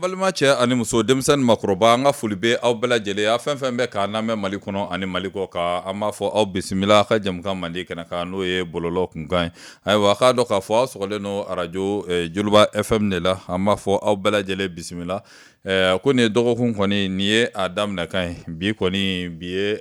Balima cɛ ani muso, denmisɛn ni makɔrɔba, an ka foli bɛ aw bɛɛ lajɛlen a fɛn fɛn bɛ k'an lamɛn Mali kɔnɔ ani Mali kɔ kan. An b'a fɔ aw bisimila a ka jɛmukan mandi kɛnɛ kan, n'o ye bɔlɔlɔ kunkan ye. Ayiwa, a k'a dɔn k'a fɔ aw sɔgɔlen don arajo Joliba FM de la. An b'a fɔ aw bɛɛ lajɛlen bisimila. Ko nin ye dɔgɔkun kɔni, nin ye a daminɛkan ye. Bi kɔni, bi ye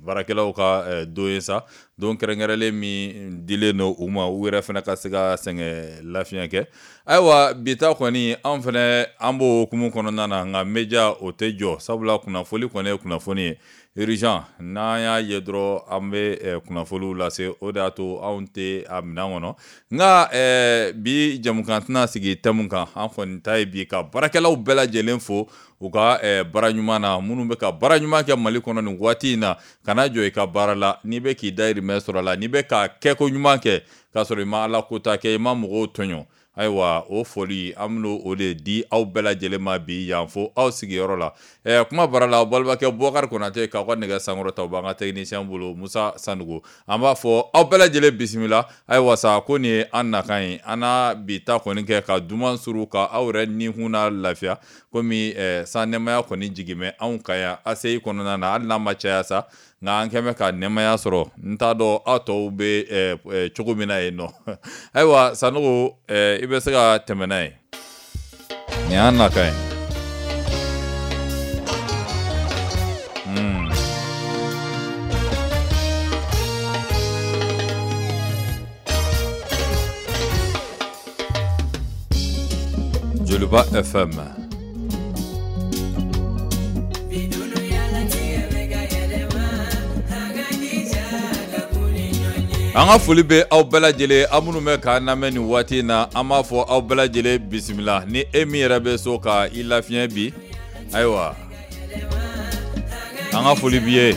baarakɛlaw ka don ye sa, don kɛrɛnkɛrɛnlen min dilen don u ma, u yɛrɛ fana ka se ka sɛgɛn lafiɲɛ kɛ. Ayiwa, bi ta kɔni, anw fana an b'o hukumu kɔnɔna na, nka media o tɛ jɔ, sabula kunnafoli kɔni ye kunnafoni ye. Urgent, n'an y'a ye dɔrɔn an bɛ kunnafoliw lase, o de y'a to anw tɛ a minɛn kɔnɔ. Nka bi jɛmukan tɛna sigi thème kan. An kɔni ta ye bi ka baarakɛlaw bɛɛ lajɛlen fo u ka baara ɲuman na, minnu bɛ ka baara ɲuman kɛ Mali kɔnɔ nin waati in na. Kana jɔ i ka baara la, n'i bɛ k'i dayirimɛ sɔrɔ a la, n'i bɛ ka kɛko ɲuman kɛ k'a sɔrɔ i ma Ala kota kɛ, i ma mɔgɔw tɔɲɔ. Ayiwa, o foli an bɛna o de di aw bɛɛ lajɛlen ma bi yan fo aw sigiyɔrɔ la. Kuma bara la, aw balimakɛ Bubakari Konate k'aw ka nɛgɛ sankɔrɔta, o b'an ka technicien bolo Musa Sanogo. An b'a fɔ aw bɛɛ lajɛlen bisimila. Ayiwa sa, ko nin ye an nakan ye. An na bi ta kɔni kɛ ka duman suru ka aw yɛrɛ nikun na lafiya, komi san nɛmaya kɔni jigin bɛ anw kan yan ACI kɔnɔna na, hali n'a ma caya sa, nka an kɛn bɛ ka nɛmaya sɔrɔ. N t'a dɔn aw tɔw bɛ cogo min na yen nɔ. Ayiwa Sanogo, i bɛ se ka tɛmɛ n'a ye. Nin y'an nakan ye. Joliba FM. An ka foli bɛ aw bɛɛ lajɛlen, aw minnu bɛ k'an lamɛn nin waati in na. An b'a fɔ aw bɛɛ lajɛlen bisimila. Ni e min yɛrɛ bɛ so ka i lafiɲɛ bi, ayiwa, an ka foli b'i ye.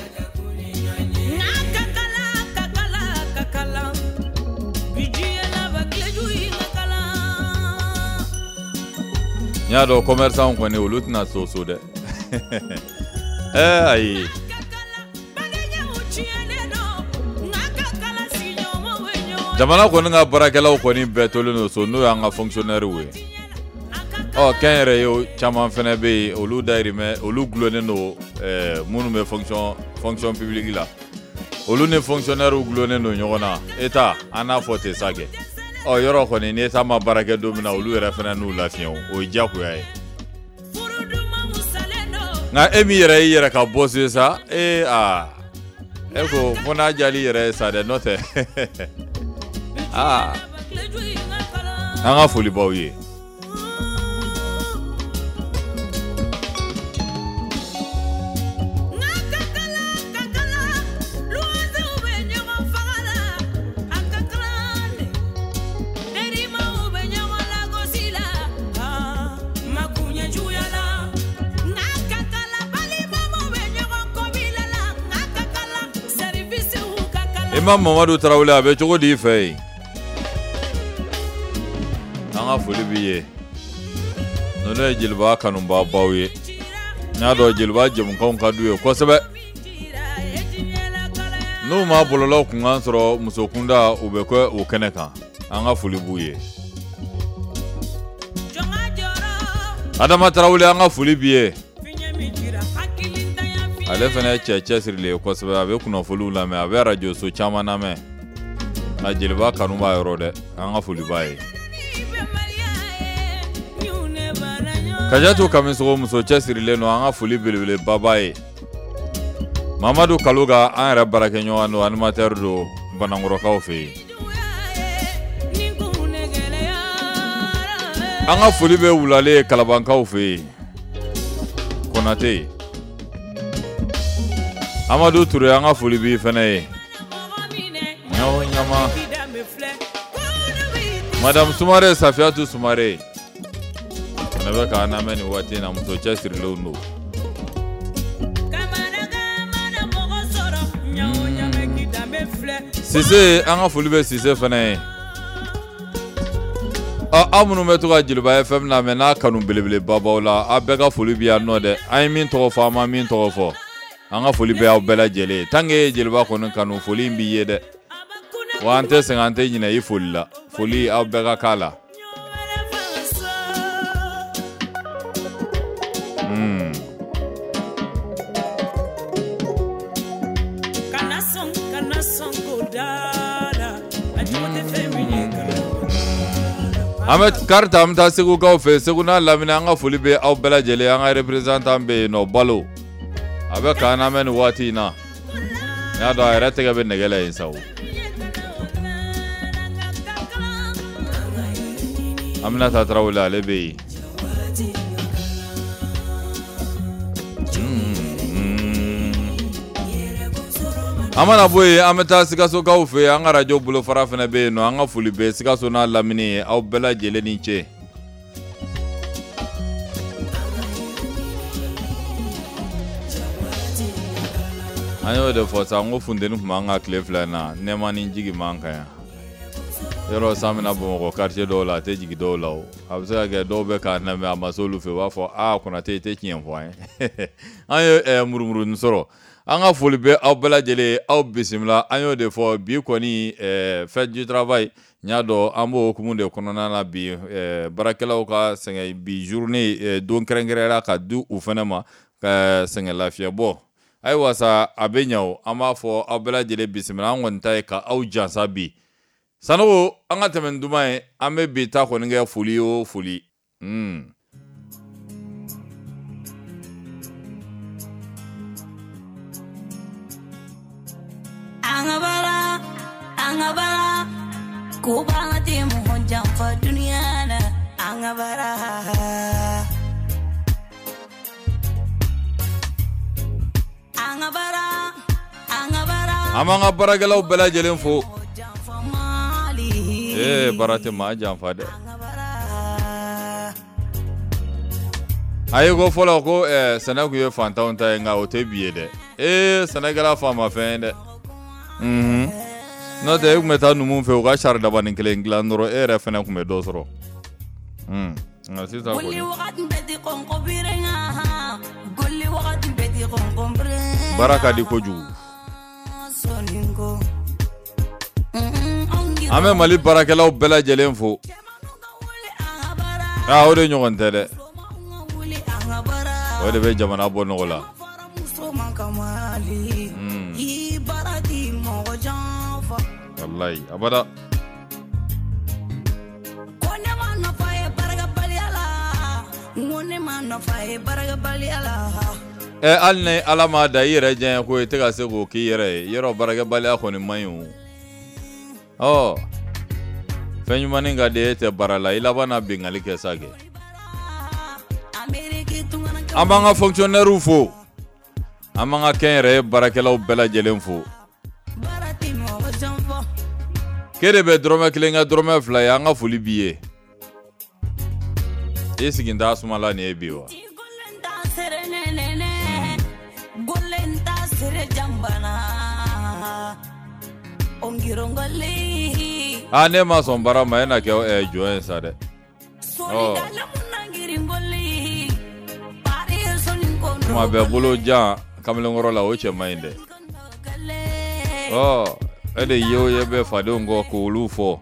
N y'a dɔn commerçant kɔni, olu tɛna so so dɛ. Ayi, jamana kɔni ka baarakɛlaw kɔni bɛɛ tolen don so, n'o y'an ka fonctionnaires ye. Ɔ, kɛnyɛrɛye caman fana bɛ yen, olu dayirimɛ olu gulonnen don. Minnu bɛ fonction publique la, olu ni fonctionnaires gulonnen don ɲɔgɔn na. État, an n'a fɔ ten sa kɛ. Ɔ, yɔrɔ kɔni, ni État ma baara kɛ don min na, olu yɛrɛ fana n'u lafiɲɛ, o ye diyagoya ye. Nka e min yɛrɛ y'i yɛrɛ ka boss ye sa, ee aa, e ko fo n'a diyal'i yɛrɛ ye sa dɛ, n'o tɛ aa, an ka foli b'aw ye. Imam Mamadu Tarawele, a bɛ cogo di i fɛ yen? An ka foli b'i ye. Ninnu ye Jeliba kanubabaw ye. N y'a dɔn Jeliba jɛmukanw ka d'u ye kosɛbɛ. N'u ma bɔlɔlɔ kunkan sɔrɔ muso kunda, u bɛ kɛ o kɛnɛ kan. An ka foli b'u ye. Adama Tarawele, an ka foli b'i ye. Ale fana ye cɛ cɛsirilen ye kosɛbɛ. A bɛ kunnafoniw lamɛn, a bɛ arajoso caman lamɛn, nka Jeliba kanu b'a yɔrɔ dɛ. An ka foli b'a ye. Kajatu Kamisogo, muso cɛsirilen don, an ka foli belebeleba b'a ye. Mamadu Kaloga, an yɛrɛ baarakɛɲɔgɔn don, animateur don Banankɔrɔkaw fɛ yen. An ka foli bɛ wulalen Kalabankaw fɛ yen. Konate Amadu Ture, an ka foli b'i fana ye. Ɲama Madame Sumare, Safiyatu Sumare fana bɛ k'an lamɛn nin waati in na. Muso cɛsirilenw don. Sise, an ka foli bɛ Sise fana ye. Ɔ, aw minnu bɛ to ka Jeliba FM lamɛn n'a kanu belebeleba b'aw la, aw bɛɛ ka foli bɛ yan nɔ dɛ. An ye min tɔgɔ fɔ, an ma min tɔgɔ fɔ, an ka foli bɛ aw bɛɛ lajɛlen ye. Tant que e ye Jeliba kɔni kanu, foli in b'i ye dɛ. Wa an tɛ sɛgɛn, an tɛ ɲinɛ i foli la. Foli, aw bɛɛ ka k'a la. An bɛ kari ta, an bɛ taa Segukaw fɛ. Segu n'a lamini, an ka foli bɛ aw bɛɛ lajɛlen. An ka représentant bɛ yen nɔ, Balo, a bɛ k'an lamɛn nin waati in na. N y'a dɔn a yɛrɛ tɛgɛ bɛ nɛgɛ la yen sa o. Aminata Tarawele, ale bɛ yen. An mana bɔ yen, an bɛ taa Sikasokaw fɛ yen. An ka arajo bolofara fana bɛ yen nɔ. An ka foli bɛ Sikaso n'a lamini ye, aw bɛɛ lajɛlen ni ce. An y'o de fɔ sa, n ko funteni tun b'an kan tile 2 in na, nɛɛma ni jigi b'an kan yan. Yɔrɔ san bɛ na Bamakɔ quartier dɔw la, a tɛ jigin dɔw la o. A bɛ se ka kɛ dɔw bɛ k'a lamɛn, a ma se olu fɛ, u b'a fɔ aa Konate, i tɛ tiɲɛ fɔ an ye. An ye murumuruni sɔrɔ. An ka foli bɛ aw bɛɛ lajɛlen, aw bisimila. An y'o de fɔ bi kɔni, fête du travail, n y'a dɔn an b'o hukumu de kɔnɔna na bi. Baarakɛlaw ka sɛgɛn bi journée don kɛrɛnkɛrɛnyara ka di u fana ma ka sɛgɛn lafiya bɔ. Ayiwa sa, a bɛ ɲɛ o. An b'a fɔ aw bɛɛ lajɛlen bisimila. An kɔni ta ye ka aw jansa bi. Sanogo, an ka tɛmɛ ni duman ye. An bɛ bi ta kɔni kɛ foli o foli. An ka baara, an ka baara, ko baara tɛ mɔgɔ janfa dunuya la. An ka baara. An ka baara, an ka baara. An b'an ka baarakɛlaw bɛɛ lajɛlen fo. Ee, baara tɛ maa janfa dɛ. A ye ko fɔlɔ ko sɛnɛ tun ye fantanw ta ye, nka o tɛ bi ye dɛ. Ee, sɛnɛ kɛra faama fɛn ye dɛ. N'o tɛ, e tun bɛ taa numu fɛ, u ka sari dabanin kelen dilan dɔrɔn, e yɛrɛ fɛnɛ tun bɛ dɔ sɔrɔ. Nka sisan kɔni, baara ka di kojugu. An bɛ Mali baarakɛlaw bɛɛ lajɛlen fo. Aa, o de ɲɔgɔn tɛ dɛ. O de bɛ jamana bɔ nɔgɔ la. Walayi, abada. Ɛ, hali ni Ala m'a da i yɛrɛ diya ko i tɛ ka se k'o k'i yɛrɛ ye, yɔrɔ baarakɛbaliya kɔni man ɲi o. Ɔ, fɛn ɲumannin ka di e tɛ baara la, i laban na binkanni kɛ sa kɛ. An b'an ka fonctionnaires fo, an b'an ka kɛnyɛrɛye baarakɛlaw bɛɛ lajɛlen fo. K'e de bɛ dɔrɔmɛ 1 kɛ dɔrɔmɛ 2 ye, an ka foli b'i ye. I sigi t'a sumala nin ye bi wa? Aa, ne ma sɔn baara ma, e na kɛ jɔn ye sa dɛ. Kuma bɛɛ bolo jan kamalenkɔrɔ la, o cɛ man ɲi dɛ. Ɔ, e de ye o ye bɛ fadenw kɔ k'olu fɔ.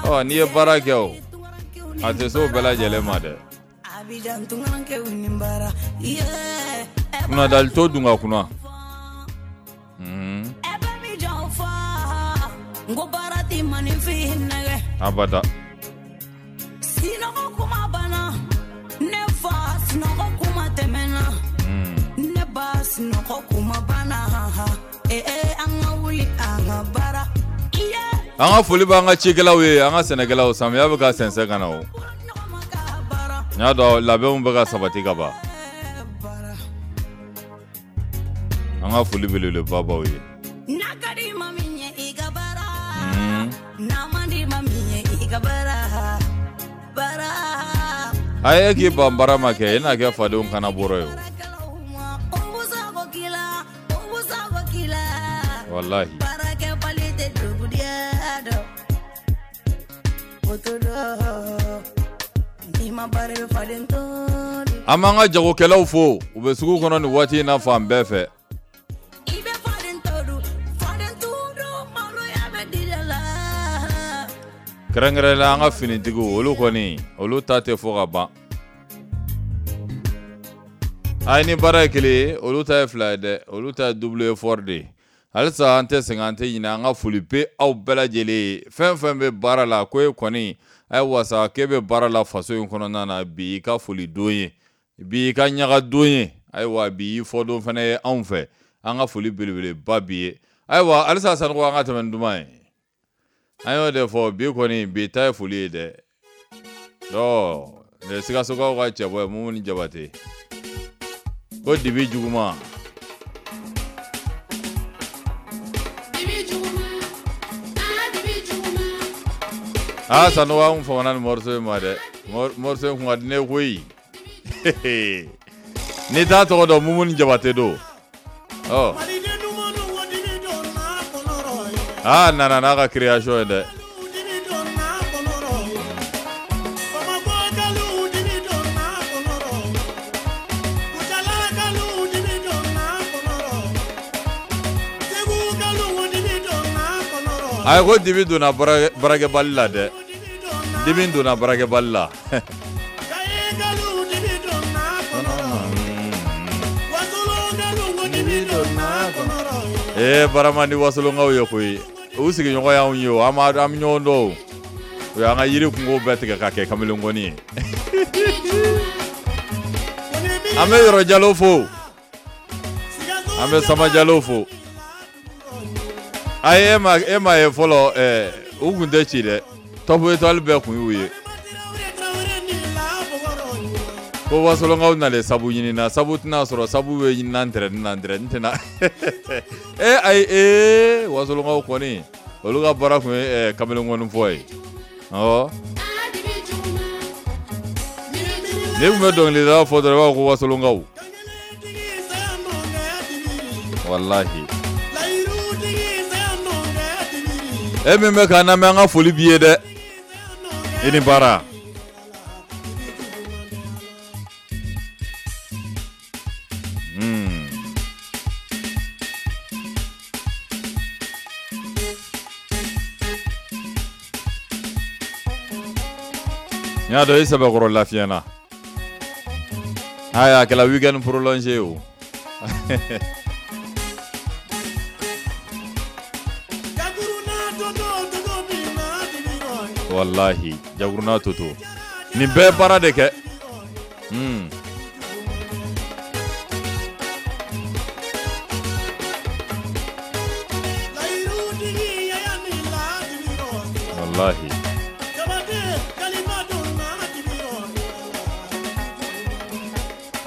Ɔ, n'i ye baara kɛ o, a tɛ se o bɛɛ lajɛlen ma dɛ. Kunnadali to dun ka kunna. Abada. Sinɔgɔ kuma banna, ne fa, sinɔgɔ kuma tɛmɛna. Ne ba, sinɔgɔ kuma banna. Ee, an ka wuli, an ka baara. An ka foli b'an ka cikɛlaw ye, an ka sɛnɛkɛlaw. Samiya bɛ ka sɛnsɛn ka na o. N y'a dɔn labɛnw bɛ ka sabati ka ban. An ka foli belebeleba b'aw ye. N'a ka di ma min ye i ka baara, n'a man di ma min ye i ka baara, baara. A ye k'i ban baara ma kɛ, i n'a kɛ fadenw kana bɔrɔ ye o. Walahi. Baarakɛbali tɛ dugudiyɛ dɔn. O to dɔn. N'i ma baara i bɛ faden to dun. An b'an ka jagokɛlaw fo, u bɛ sugu kɔnɔ nin waati in na fan bɛɛ fɛ. I bɛ faden to dun, faden to dun, maloya bɛ d'i la. Kɛrɛnkɛrɛnnenya an ka finitigiw, olu kɔni, olu ta tɛ fɔ ka ban. A ye ni baara ye kelen ye, olu ta ye fila ye dɛ, olu ta ye double effort de ye. Halisa an tɛ sɛgɛn, an tɛ ɲinɛ, an ka foli bɛ aw bɛɛ lajɛlen ye. Fɛn fɛn bɛ baara la, ko e kɔni ayiwa sa k'e bɛ baara la faso in kɔnɔna na, bi i ka foli don ye, bi i ka ɲaga don ye, ayiwa bi i fɔdon fana ye anw fɛ. An ka foli belebeleba b'i ye. Ayiwa halisa Sanogo, an ka tɛmɛ ni duman ye. An y'o de fɔ, bi kɔni bi ta ye foli ye dɛ. Ɔ nin ye Sikasokaw ka cɛbɔ ye, Mumuni Jabate, ko dibi juguman. Aa Sanogo, an famana nin morceau in ma dɛ. Morceau in kun ka di ne ye koyi. N'i t'a tɔgɔ dɔn, Mumuni Jabate don. Ɔ aa nana n'a ka création ye dɛ. Ayi, ko dibi donna baarakɛbali la dɛ. Dibi donna baarakɛbali la. Ee barama ni wasolonkaw ye koyi, u sigiɲɔgɔn y'anw ye o, an b'a an bɛ ɲɔgɔn dɔn o. U y'an ka yiri kungo bɛɛ tigɛ ka kɛ kamalenkɔni ye. An bɛ Yɔrɔ Jalo fo, an bɛ Sama Jalo fo. Ayi, e ma ye fɔlɔ, u kun tɛ ci dɛ. Top Étoile bɛɛ kun y'u ye. Ko wasolonkaw nalen sabu ɲini na, sabu tɛna sɔrɔ, sabu bɛ ɲini na ntɛrɛnin na, ntɛrɛnin tɛna. E ayi, ee wasolonkaw kɔni, olu ka baara kun ye kamalenkɔni fɔ ye. Awɔ, n'i kun bɛ dɔnkilidala fɔ dɔrɔn, i b'a fɔ ko wasolonkaw. Walahi, e min bɛ k'an lamɛn, an ka foli b'i ye dɛ. I ni baara. N y'a dɔn i sɛbɛkɔrɔ lafiyana. Ayi, a kɛla week-end prolongé o. Walahi, jakuruna toto, nin bɛɛ baara de kɛ. Walahi,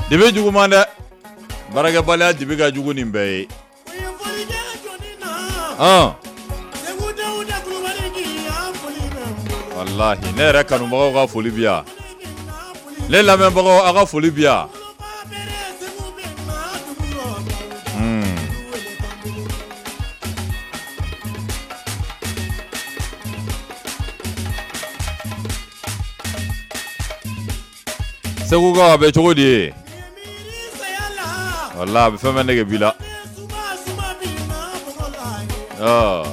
dibi juguman dɛ. Baarakɛbaliya dibi ka jugu nin bɛɛ ye. Walahi, ne yɛrɛ kanubagaw ka foli bi yan, ne lamɛnbagaw, aw ka foli bi yan. Segukaw, a bɛ cogo di ye? Wala a bɛ fɛn bɛɛ nege b'i la. Ɔ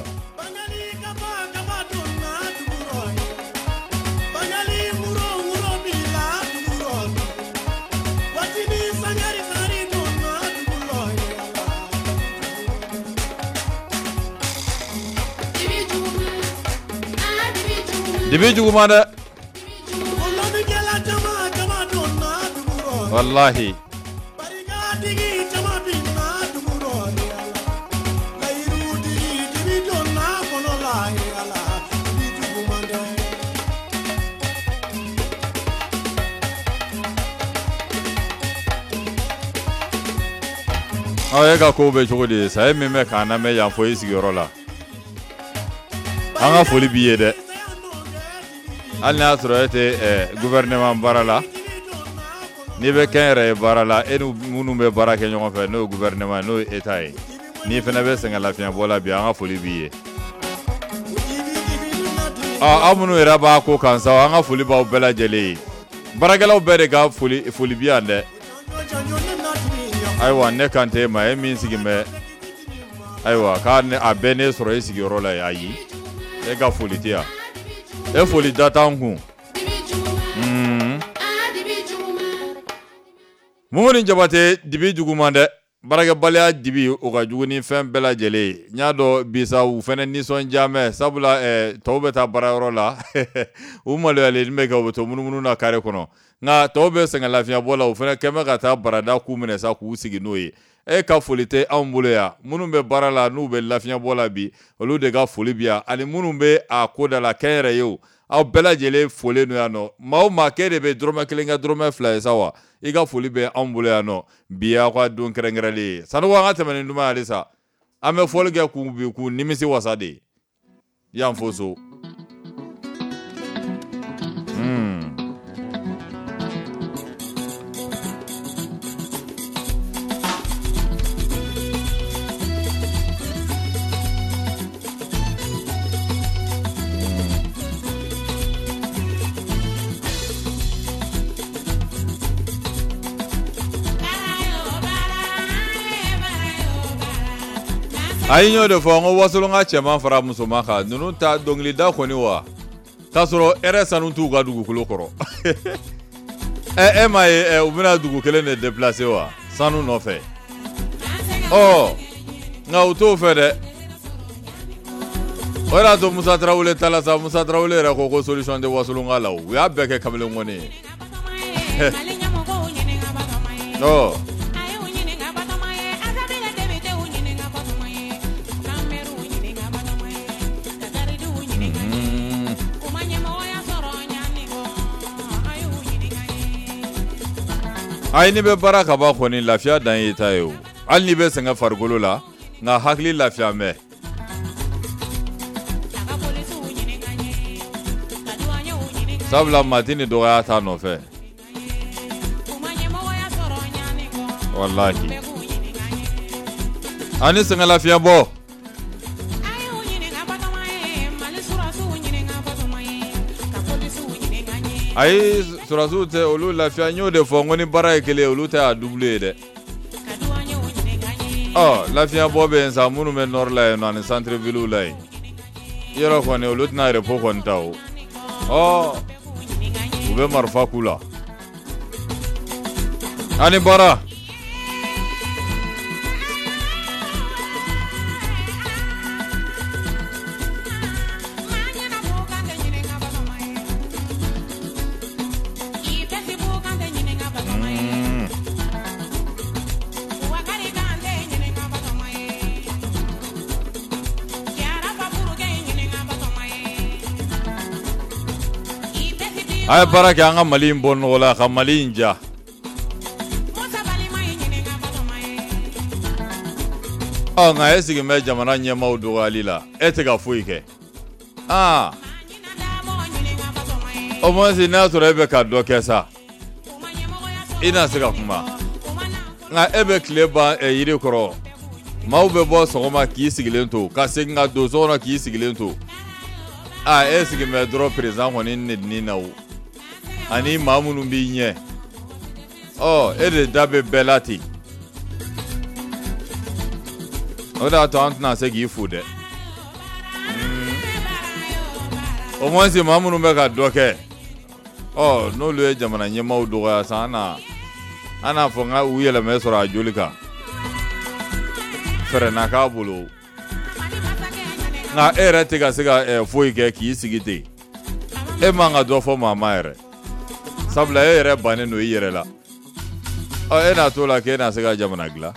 dibi juguman dɛ. Walahi, aw e ka kow bɛ cogo di ye sa? E min bɛ k'an lamɛn yan fo i sigiyɔrɔ la, an ka foli b'i ye dɛ. Hali n'a y'a sɔrɔ e tɛ gouvernement baara la, n'i bɛ kɛnyɛrɛye baara la, e ni minnu bɛ baara kɛ ɲɔgɔn fɛ, n'o ye gouvernement ye, n'o ye état ye, n'i fana bɛ sɛgɛn lafiɲɛbɔ la bi, an ka foli b'i ye. Aw minnu yɛrɛ b'a ko kan sa, an ka foli b'aw bɛɛ lajɛlen ye. Baarakɛlaw bɛɛ de ka foli foli bi yan dɛ. Ayiwa, ne kan tɛ e ma, e min sigi bɛ, ayiwa, k'a a bɛɛ ne sɔrɔ e sigiyɔrɔ la yen. Ayi, e ka foli tɛ yan, e foli da t'an kun. Mumuni Jabate, dibi juguman dɛ. Baarakɛbaliya dibi o ka jugu ni fɛn bɛɛ lajɛlen ye. N y'a dɔn bi sa u fana nisɔndiya mɛ, sabula tɔw bɛ taa baarayɔrɔ la u maloyalen bɛ kɛ, u bɛ to munumunu na carré kɔnɔ, nka tɔw bɛ sɛgɛn lafiɲɛbɔ la, u fana kɛn bɛ ka taa barada k'u minɛ sa k'u sigi n'o ye. E ka foli tɛ anw bolo yan, minnu bɛ baara la n'u bɛ lafiɲɛbɔ la bi, olu de ka foli bi yan, ani minnu bɛ a ko da la kɛnyɛrɛye o, aw bɛɛ lajɛlen folen don yan nɔ. Maa o maa k'e de bɛ dɔrɔmɛ kelen kɛ dɔrɔmɛ fila ye sa wa, i ka foli bɛ anw bolo yan nɔ bi y'aw ka don kɛrɛnkɛrɛnlen ye. Sanogo, an ka tɛmɛ ni duman ye halisa, an bɛ fɔli kɛ k'u bi k'u nimisi wasa de yan fo so. Ayi, n y'o de fɔ, n ko Wasolon ka cɛman fara musoman kan, ninnu ta dɔnkilida kɔni wa, k'a sɔrɔ hɛrɛ sanu t'u ka dugukolo kɔrɔ. Ɛ e m'a ye, u bɛna dugu kelen de déplacer wa sanu nɔfɛ. Ɔ nka u t'o fɛ dɛ. O de y'a to Musa Tarawele ta la sa, Musa Tarawele yɛrɛ ko ko solution tɛ Wasolon ka la, o u y'a bɛɛ kɛ kamalen kɔni ye. Ɔ ayi, n'i bɛ baara ka ban kɔni, lafiya dan y'i ta ye o. Hali n'i bɛ sɛgɛn farikolo la, nka hakili lafiya bɛ. Sabula maa tɛ ni dɔgɔya t'a nɔfɛ. Walahi, ani sɛgɛn lafiya bɔ. Ayi, sɔrɔdasiw tɛ olu lafiya. N y'o de fɔ, n ko ni baara ye kelen ye, olu tɛ a double ye dɛ. Ɔ lafiya bɔ bɛ yen sa, minnu bɛ nord la yen nɔ ani centre ville la yen, yɔrɔ kɔni olu tɛna repos kɔni ta o. Ɔ u bɛ marifa k'u la ani baara. A ye baara kɛ, an ka Mali in bɔ nɔgɔ la, ka Mali in ja. Ɔ nka e sigilen bɛ jamana ɲɛmaaw dɔgɔyali la, e tɛ ka foyi kɛ. Aa au moins n'a sɔrɔ e bɛ ka dɔ kɛ sa, i na se ka kuma. Nka e bɛ tile ban yiri kɔrɔ, maaw bɛ bɔ sɔgɔma k'i sigilen to, ka segin ka don so kɔnɔ k'i sigilen to. Aa e sigilen bɛ dɔrɔn président kɔni nenini na o, ani maa minnu b'i ɲɛ. Ɔ e de da bɛ bɛɛ la ten. O de y'a to an tɛna se k'i fo dɛ. Au moins maa minnu bɛ ka dɔ kɛ, ɔ n'olu ye jamana ɲɛmaaw dɔgɔya sa, an na an n'a fɔ n ka u yɛlɛmɛ sɔrɔ a joli kan, fɛɛrɛ na k'a bolo. Nka e yɛrɛ tɛ ka se ka foyi kɛ k'i sigi ten, e man ka dɔ fɔ maa ma yɛrɛ, sabula e yɛrɛ bannen don i yɛrɛ la. Ɔ e n'a t'o la k'e na se ka jamana dilan.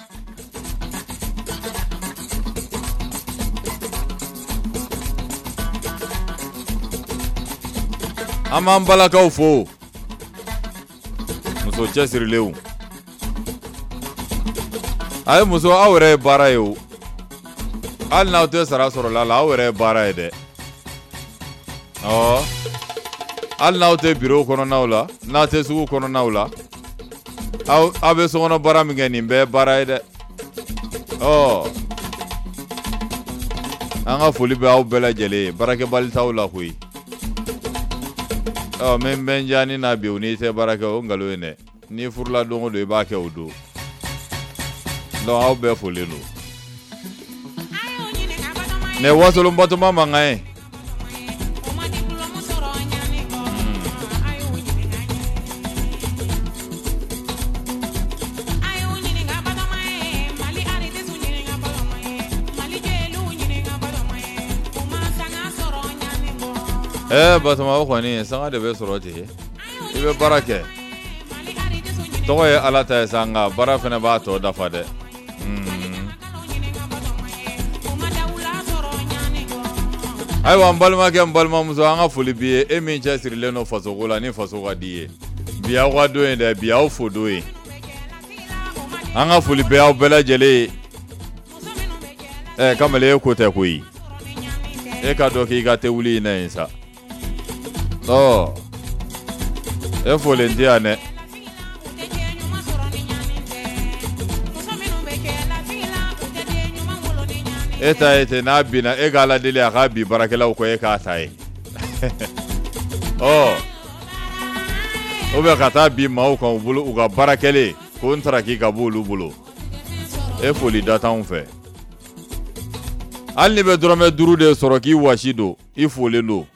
An b'an balakaw fo, muso cɛsirilenw. A ye muso, aw yɛrɛ ye baara ye o. Hali n'aw tɛ sara sɔrɔ la, aw yɛrɛ ye baara ye dɛ. Ɔ hali n'aw tɛ biro kɔnɔnaw la, n'aw tɛ sugu kɔnɔnaw la, aw aw bɛ sokɔnɔ baara min kɛ, nin bɛɛ ye baara ye dɛ. Ɔ an ka foli bɛ aw bɛɛ lajɛlen ye, baarakɛbali t'aw la koyi. Ɔ min bɛ n diya ni na bi, o n'i tɛ baara kɛ, o nkalon ye dɛ. N'i furula don o don, i b'a kɛ o don. Donc aw bɛɛ folen don. Nin ye Wasolon Batoma mankan ye. Batoma o kɔni sanga de bɛ sɔrɔ ten, i bɛ baara kɛ, tɔgɔ ye Ala ta ye sa, nka baara fana b'a tɔ dafa dɛ. Ayiwa n balimakɛ, n balimamuso, an ka foli b'i ye, e min cɛsirilen don fasoko la ni faso ka di ye. Bi aw ka don ye dɛ, bi aw fo don ye. An ka foli bɛ aw bɛɛ lajɛlen ye. Kamalen, e ko tɛ koyi, e ka dɔn k'i ka te wuli in na yen sa. Ɔ e folen tɛ yan dɛ. E ta ye ten, n'a binna e ka Ala deli a k'a bin baarakɛlaw kɔ, e k'a ta ye. Ɔ o bɛ ka taa bin maaw kan u bolo, u ka baara kɛlen ko n taraki ka bɔ olu bolo. E foli da t'anw fɛ. Hali n'i bɛ dɔrɔmɛ 5 de sɔrɔ k'i wasi don, i folen don.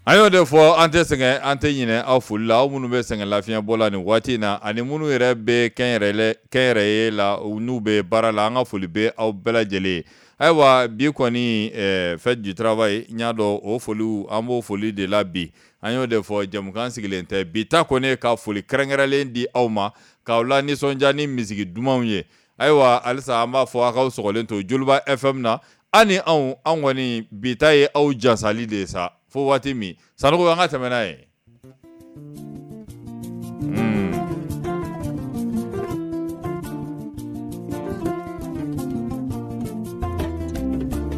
An y'o de fɔ, an tɛ sɛgɛn, an tɛ ɲinɛ aw foli la, aw minnu bɛ sɛgɛn lafiɲɛbɔ la nin waati in na, ani minnu yɛrɛ bɛ kɛnyɛrɛye la, n'u bɛ baara la, an ka foli bɛ aw bɛɛ lajɛlen ye. Ayiwa bi kɔni fête du travail, n y'a dɔn o foliw, an b'o foli de la bi. An y'o de fɔ, jɛmukan sigilen tɛ bi ta kɔni ka foli kɛrɛnkɛrɛnlen di aw ma, k'aw la nisɔndiya ni misigi dumanw ye. Ayiwa halisa an b'a fɔ aw k'aw sɔgɔlen to Joliba FM na, an ni anw, an kɔni bi ta ye aw jasali de ye sa, fo waati min Sanogo, an ka tɛmɛ n'a ye.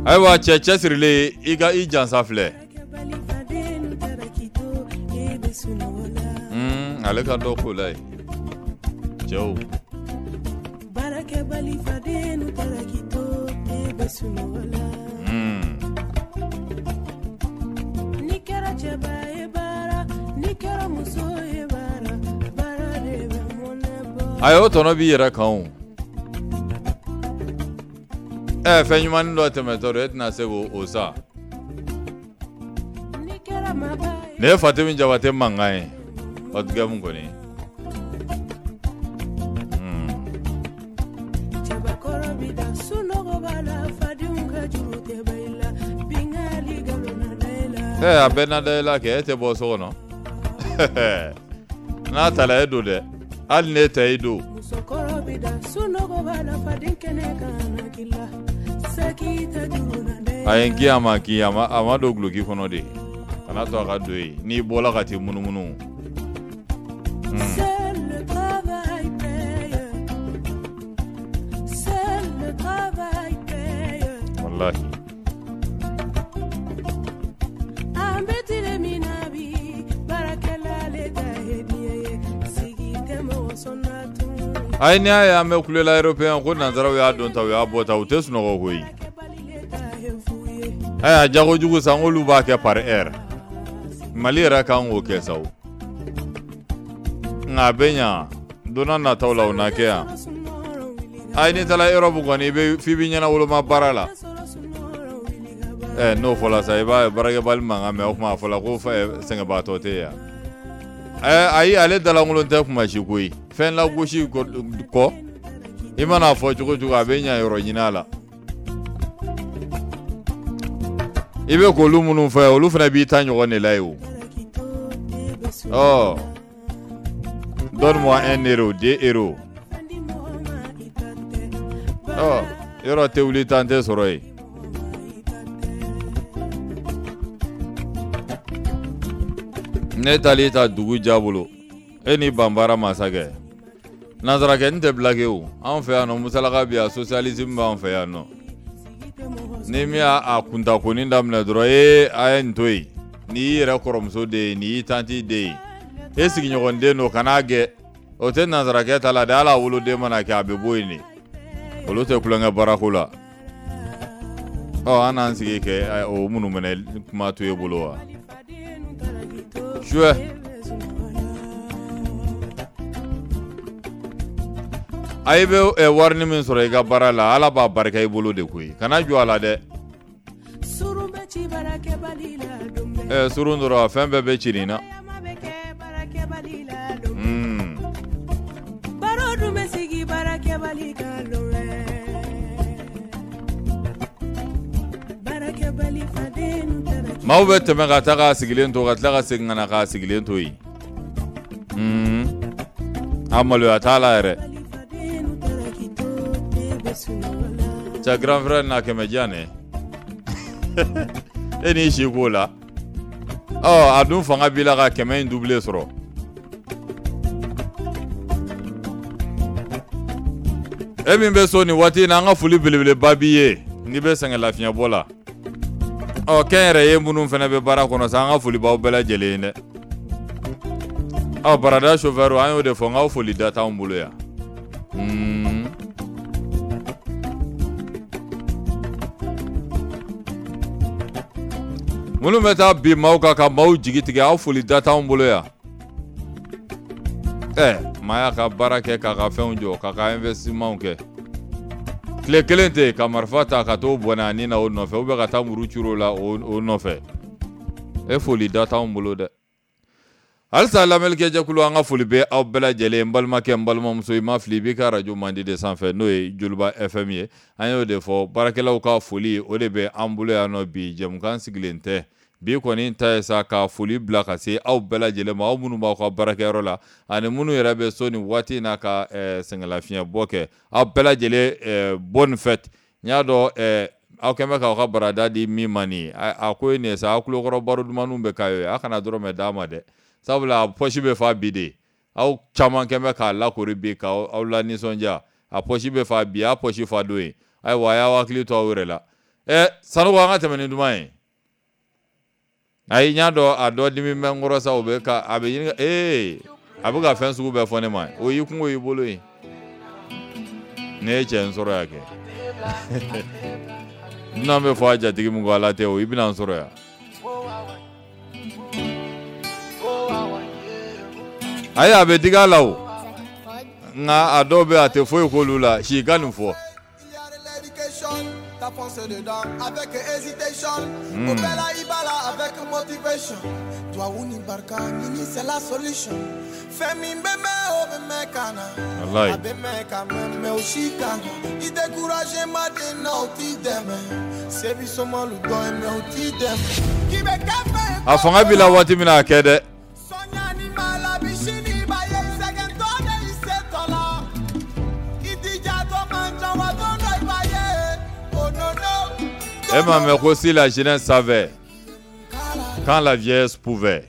Ayiwa cɛ cɛsirilen, i ka i jansa filɛ. Ale ka dɔ ko la ye cɛw. A y'o tɔnɔ b'i yɛrɛ kan o. Fɛn ɲuman dɔ tɛmɛtɔ don, e tɛna se k'o sa. Nin ye Fatimi Jabate mankan ye, haute gamme kɔni. A bɛɛ na da i la kɛ, e tɛ bɔ so kɔnɔ. N'a taara e don dɛ, hali n'e tɛ i don. A ye n kin, a ma kin, a ma don guloki kɔnɔ de, kana to a ka don yen, n'i bɔla ka t'i munumunu. Wallahi. Ayi, n'i y'a ye an bɛ kulela européen ko nanzaraw y'a don ta, u y'a bɔ ta, u tɛ sunɔgɔ koyi. Ayiwa jago jugu sa, k'olu b'a kɛ par heure. Mali yɛrɛ kan k'o kɛ sa o. Nka a bɛ ɲa don n'a nataw la, o na kɛ yan. Ayi, n'i taara Europe kɔni, i bɛ f'i b'i ɲɛna woloma baara la. N'o fɔla sa, i b'a ye baarakɛbali mankan mɛn, o tuma a fɔla ko sɛgɛnbaatɔ tɛ yan. Ayi, ale dalankolon tɛ kuma si koyi. Fɛn lagosi kɔ, i mana fɔ cogo cogo, a bɛ ɲa yɔrɔ ɲini a la. I bɛ k'olu minnu fɔ, olu fana b'i ta ɲɔgɔn de la yen o. Ɔ donne-moi 1 euro, 2 euros. Ɔ yɔrɔ tɛ wuli tan tɛ sɔrɔ yen. Ne taali ta dugu ja bolo, e ni banbara masakɛ nanzarakɛ n tɛ blague o. Anw fɛ yan nɔ, musalaka bi yan, socialisme b'anw fɛ yan nɔ. Ni min y'a kuntakoni daminɛ dɔrɔn, ee a ye nin to yen, n'i y'i yɛrɛ kɔrɔmuso den ye, n'i y'i tanti den ye, e sigiɲɔgɔn den don, kan'a gɛn. O tɛ nanzarakɛ ta la dɛ, hali a woloden mana kɛ, a bɛ bɔ yen de. Olu tɛ tulonkɛ baarako la. Ɔ an n'an sigi kɛ o minnu minɛ kuma to e bolo wa suɛ. A i bɛ warini min sɔrɔ i ka baara la, Ala b'a barika i bolo de koyi, kana jɔ a la dɛ. Surun dɔrɔn, fɛn bɛɛ bɛ ci nin na. Baro dun bɛ sigi baarakɛbali kan lon. Maaw bɛ tɛmɛ ka taa k'a sigilen to ka tila ka segin ka na k'a sigilen to yen. A maloya t'a la yɛrɛ. Cɛ grand frère na 100 di yan dɛ. E n'i si k'o la. Ɔ a dun fanga b'i la ka 100 in doublé sɔrɔ. E min bɛ so nin waati in na, an ka foli belebeleba b'i ye n'i bɛ sɛgɛn lafiɲɛbɔ la. Ɔ kɛnyɛrɛye minnu fana bɛ baara kɔnɔ sa, an ka foli b'aw bɛɛ lajɛlen ye dɛ. Ɔ barada chauffeur, an y'o de fɔ n k'aw foli da t'anw bolo yan. Minnu bɛ taa bin maaw kan ka maaw jigi tigɛ, aw foli da t'anw bolo yan. Ɛ maa y'a ka baara kɛ k'a ka fɛnw jɔ k'a ka investissement kɛ, tile kelen tɛ ka marifa ta ka t'o bɔnɛ a ni na o nɔfɛ, ou bien ka taa muru curu o la o nɔfɛ, e foli da t'anw bolo dɛ. Halisa lamɛnnikɛjɛkulu, an ka foli bɛ aw bɛɛ lajɛlen. N balimakɛ, n balimamuso, i ma fili, i b'i ka arajo mandi de sanfɛ, n'o ye Joliba FM ye. An y'o de fɔ, baarakɛlaw ka foli o de bɛ an bolo yan nɔ bi. Jɛmukan sigilen tɛ bi kɔni ta ye sa ka foli bila ka se aw bɛɛ lajɛlen ma, aw minnu b'aw ka baarakɛyɔrɔ la ani minnu yɛrɛ bɛ so nin waati in na ka sɛgɛnlafiɲɛbɔ kɛ. Aw bɛɛ lajɛlen, bonne fête. N y'a dɔn aw kɛn bɛ k'aw ka barada di min ma nin ye, a ko ye nin ye sa, aw tulokɔrɔ baro dumanniw bɛ k'a ye, a kana dɔrɔmɛ d'a ma dɛ, sabula a pɔsi bɛ fa bi de. Aw caman kɛn bɛ k'a lakori bi k'aw la nisɔndiya, a pɔsi bɛ fa bi, a pɔsi fa don ye. Ayiwa, a y'aw hakili to aw yɛrɛ la. Ɛ Sanogo, an ka tɛmɛ ni duman ye. Ayi, n y'a dɔn a dɔ dimi bɛ n kɔrɔ sa, o bɛ ka a bɛ ɲini ee a bɛ ka fɛn sugu bɛɛ fɔ ne ma, o y'i kungo y'i bolo ye. Ne ye cɛ n sɔrɔ yan kɛ, dunan bɛ fɔ a jatigi min ko Ala tɛ o, i bɛna n sɔrɔ yan. Ayi, a bɛ digi a la o, nka a dɔw bɛ a tɛ foyi k'olu la, si ka nin fɔ. T'as foncé dedans avec hésitation. Au bella ibala avec motivation. Toi ou ni barka, nini c'est la solution. Fais-mi bébé au bébé kana. Wallahi. Abeme quand même mais aussi kana. Il découragé ma de non ti deme. C'est bi seulement le don mais au ti deme. Qui be café. A fanga b'i la waati min na a kɛ dɛ. Sonia ni malabi sini ba ye sɛgɛn tɔ de i se tɔ la. I dija tɔ man ca wa don dɔ i b'a ye. Oh non non. E m'a mɛn ko si la jeunesse savait quand la vieillesse pouvait.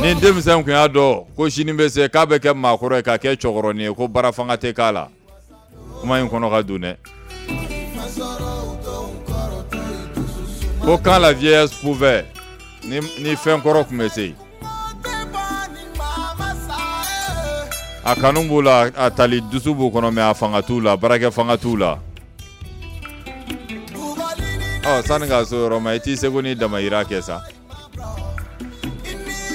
Ni denmisɛn kun y'a dɔn ko sini bɛ se k'a bɛ kɛ maakɔrɔ ye ka kɛ cɛkɔrɔnin ye, ko baara fanga tɛ k'a la. Kuma in kɔnɔ ka don dɛ. Ko quand la vieillesse pouvait, ni fɛn kɔrɔ kun bɛ se. A kanu b'u la, a tali dusu b'u kɔnɔ, mais a fanga t'u la, baarakɛ fanga t'u la. Ɔ sani k'a so yɔrɔ ma, i t'i seko ni damayira kɛ sa.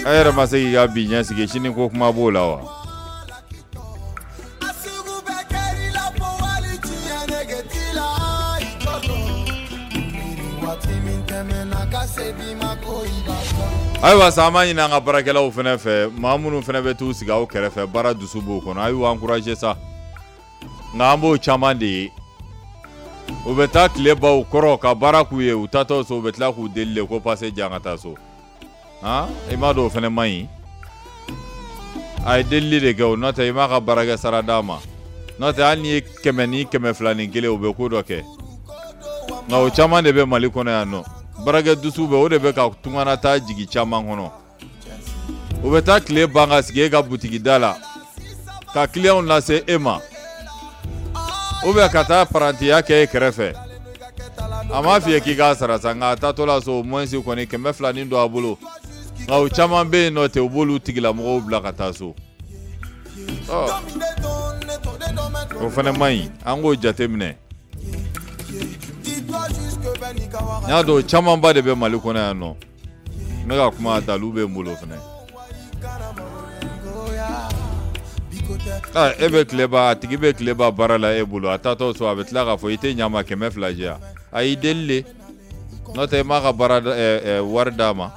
E yɛrɛ ma se k'i ka bi ɲɛsigi, sini ko kuma b'o la wa? Ayiwa sa, an b'a ɲini an ka baarakɛlaw fana fɛ, maa minnu fana bɛ t'u sigi aw kɛrɛfɛ, baara dusu b'u kɔnɔ, a y'u encourager sa. Nka an b'o caman de ye, u bɛ taa tile ban u kɔrɔ ka baara k'u ye, u taatɔ so u bɛ tila k'u deli de ko passe di yan ka taa so. Han, i m'a dɔn o fana man ɲi. A ye delili de kɛ o, n'o tɛ i m'a ka baarakɛ sara d'a ma. N'o tɛ hali n'i ye 100 ni 201 u bɛ ko dɔ kɛ. Nka o caman de bɛ Mali kɔnɔ yan nɔ. Baarakɛ dusu bɛ, o de bɛ ka tungana taa jigin caman kɔnɔ. U bɛ taa tile ban ka sigi e ka butigi da la ka clientw lase e ma, ou bien ka taa parantiya kɛ e kɛrɛfɛ. A m'a f'i ye k'i k'a sara sa, nka a taatɔ la so au moins kɔni 200 nin don a bolo. Nka o caman bɛ yen nɔ ten, u b'olu tigilamɔgɔw bila ka taa so. Ɔ o fana man ɲi, an k'o jate minɛ. N y'a dɔn o camanba de bɛ Mali kɔnɔ yan nɔ. N bɛ ka kuma dalu bɛ n bolo fana. E bɛ tile ban, a tigi bɛ tile ban baara la e bolo, a taatɔ so a bɛ tila k'a fɔ i tɛ ɲa ma 200 di yan. A y'i deli de, n'o tɛ i m'a ka baara wari d'a ma.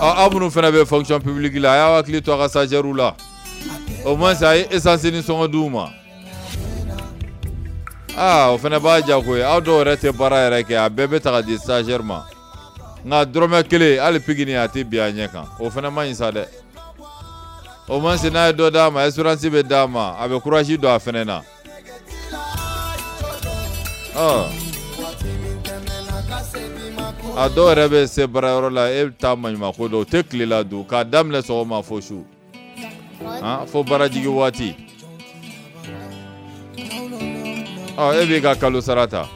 Aw minnu fana bɛ fonction publique la, a y'aw hakili to a ka stagiaires la. Au moins a ye essence ni sɔngɔ d'u ma. Aa, o fana b'a diya koyi. Aw dɔw yɛrɛ tɛ baara yɛrɛ kɛ, a bɛɛ bɛ ta ka di stagiaire ma. Nka dɔrɔmɛ kelen hali pikini a tɛ bin a ɲɛ kan. O fana man ɲi sa dɛ. O ma se n'a ye dɔ d'a ma, assurance bɛ d'a ma, a bɛ courage don a fana na. Ɔ, a dɔw yɛrɛ bɛ se baarayɔrɔ la, e bɛ taa maɲumako dɔn, u tɛ tile la dun k'a daminɛ sɔgɔma fo su, han, fo baarajigin waati. Ɔ, e b'i ka kalo sara ta.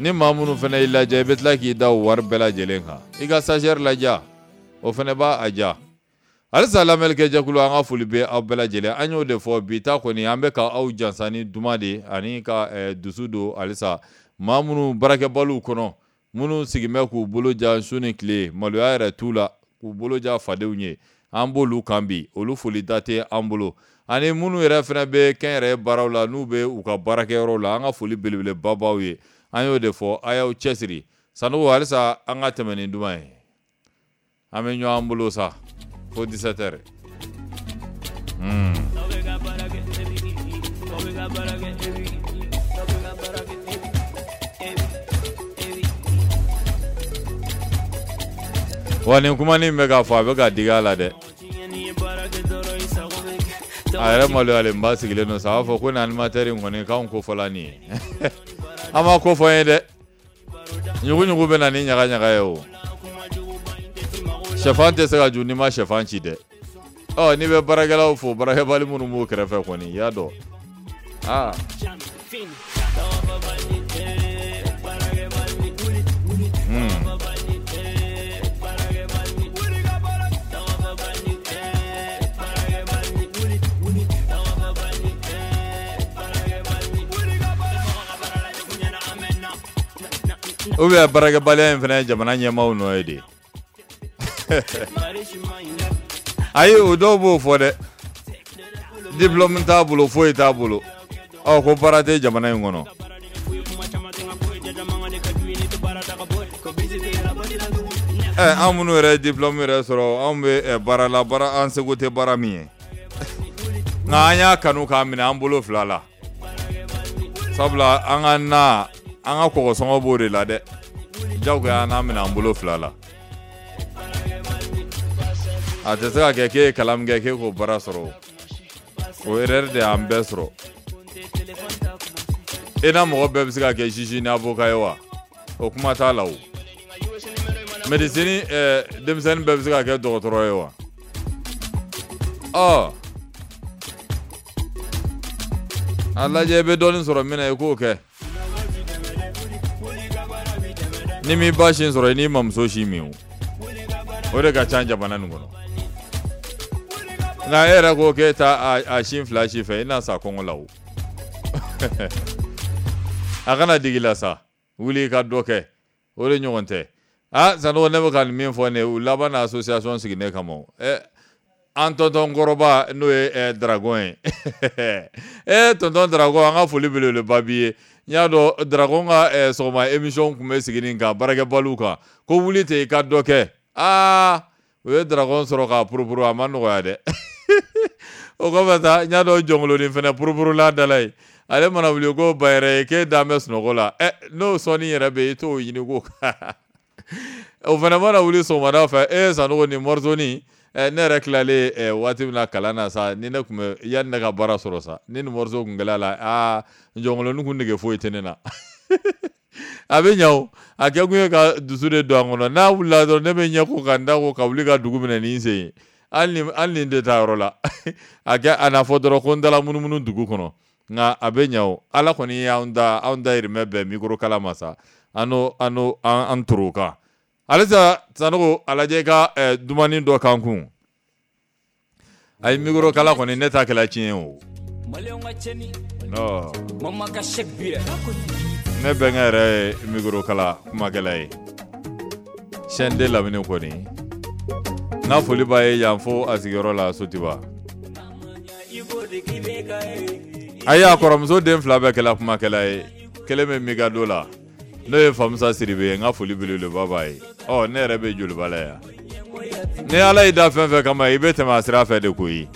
Ni maa minnu fana y'i lajɛ, i bɛ tila k'i da o wari bɛɛ lajɛlen kan. I ka stagiaire ladiya, o fana b'a a diya. Halisa lamɛnnikɛjɛkulu, an ka foli bɛ aw bɛɛ lajɛlen. An y'o de fɔ bi ta kɔni, an bɛ ka aw jansa ni duman de ani ka dusu don halisa maa minnu baarakɛbaliw kɔnɔ, minnu sigin bɛ k'u bolo jan su ni tile, maloya yɛrɛ t'u la, k'u bolo jan fadenw ye. An b'olu kan bi, olu foli da tɛ an bolo. Ani minnu yɛrɛ fana bɛ kɛnyɛrɛye baaraw la, n'u bɛ u ka baarakɛyɔrɔw la, an ka foli belebeleba b'aw ye. An y'o de fɔ, a y'aw cɛsiri. Sanogo, halisa an ka tɛmɛ ni duman ye. An bɛ ɲɔgɔn bolo sa fo 17 heures. Wa nin kumanin bɛ k'a fɔ, a bɛ ka digi a la dɛ. A yɛrɛ maloyalen ba sigilen don sa, a b'a fɔ ko nin animateur in kɔni k'anw ko fɔla nin ye. An ma ko fɔ n ye dɛ. Ɲugu-ɲugu bɛ na ni ɲaga-ɲaga ye o. Sɛfan tɛ se ka ju n'i ma sɛfan ci dɛ. Ɔ, n'i bɛ baarakɛlaw fo, baarakɛbali minnu b'u kɛrɛfɛ kɔni, i y'a dɔn. Aa. Ou bien baarakɛbaliya in fana ye jamana ɲɛmaaw nɔ ye de. Ayi, o dɔw b'o fɔ dɛ. Diplôme t'a bolo, foyi t'a bolo. Ɔ, ko baara tɛ jamana in kɔnɔ. Ɛ, an minnu yɛrɛ ye diplôme yɛrɛ sɔrɔ, anw bɛ baara la, baara an seko tɛ baara min ye. Nka an y'a kanu k'a minɛ an bolo fila la. Sabula an ka na, an ka kɔgɔsɔngɔ b'o de la dɛ. Jagoya an n'a minɛ an bolo fila la. A tɛ se ka kɛ k'e ye kalan min kɛ k'e k'o baara sɔrɔ. O erreur de y'an bɛɛ sɔrɔ. E n'a mɔgɔ bɛɛ bɛ se ka kɛ juge ni avocat ye wa? O kuma t'a la o. Médecine denmisɛnnin bɛɛ bɛ se ka kɛ dɔgɔtɔrɔ ye wa? Ɔ, a lajɛ i bɛ dɔɔnin sɔrɔ min na, i k'o kɛ. Ni m'i ba sin sɔrɔ, i n'i mamuso sin min o. O de ka ca jamana nin kɔnɔ. Nka e yɛrɛ ko k'e ta a sin fila si fɛ, i na sa kɔngɔ la o. A kana digi la sa, wuli i ka dɔ kɛ. O de ɲɔgɔn tɛ. Ah, Sanogo, ne bɛ ka nin min fɔ nin ye, u laban na association sigi ne kama o. Ɛ, an tonton kɔrɔba n'o ye Dragon ye. E tonton Dragon, an ka foli belebeleba b'i ye. N y'a dɔn Dragon ka sɔgɔma émission tun bɛ sigi nin kan baarakɛbaliw kan. Ko wuli ten i ka dɔ kɛ. Aa, u ye Dragon sɔrɔ k'a purupuru, a ma nɔgɔya dɛ. O kɔfɛ sa, n y'a dɔn Jɔnkoloni fana purupurula da la yen. Ale mana wuli ko ba yɛrɛ ye k'e dan bɛ sunɔgɔ la. Ɛ, n'o sɔnni yɛrɛ bɛ yen, i t'o ɲini ko. O fana mana wuli sɔgɔmada fɛ, e Sanogo nin morceau-nin, ne yɛrɛ tilalen waati min na kalan na sa, ni ne tun bɛ yanni ne ka baara sɔrɔ sa, ni nin morceau tun kɛla la, aa, Jɔnkoloni kun nege foyi tɛ ne na. A bɛ ɲa o. A kɛ kun ye ka dusu de don a kɔnɔ. N'a wulila dɔrɔn, ne bɛ ɲɛ ko ka n da ko ka wuli ka dugu minɛ ni n sen ye. Hali ni n tɛ taa yɔrɔ la. A kɛ a n'a fɔ dɔrɔn ko n dala munumunu dugu kɔnɔ. Nka a bɛ ɲa o. Ala kɔni y'anw da, anw dayirimɛ bɛn micro kala ma sa. An n'o, an n'o, an toro kan. Halisa Sanogo, a lajɛ i ka dumuni dɔ kan kun. Ayi, micro kala kɔni ne ta kɛla tiɲɛ o. Ne bɛnkɛ yɛrɛ ye micro kala kumakɛla ye. Chaîne de lamini kɔni. N ka foli b'a ye yan fo a sigiyɔrɔ la Sotiba. Ayi, a kɔrɔmuso den fila bɛɛ kɛla kumakɛla ye. Kelen bɛ Mikado la. N'o ye Famusa Siribe ye, n ka foli belebeleba b'a ye. Ɔ, ne yɛrɛ bɛ Joliba la yan. Ni Ala y'i da fɛn fɛn kama, i bɛ tɛmɛ a sira fɛ de koyi.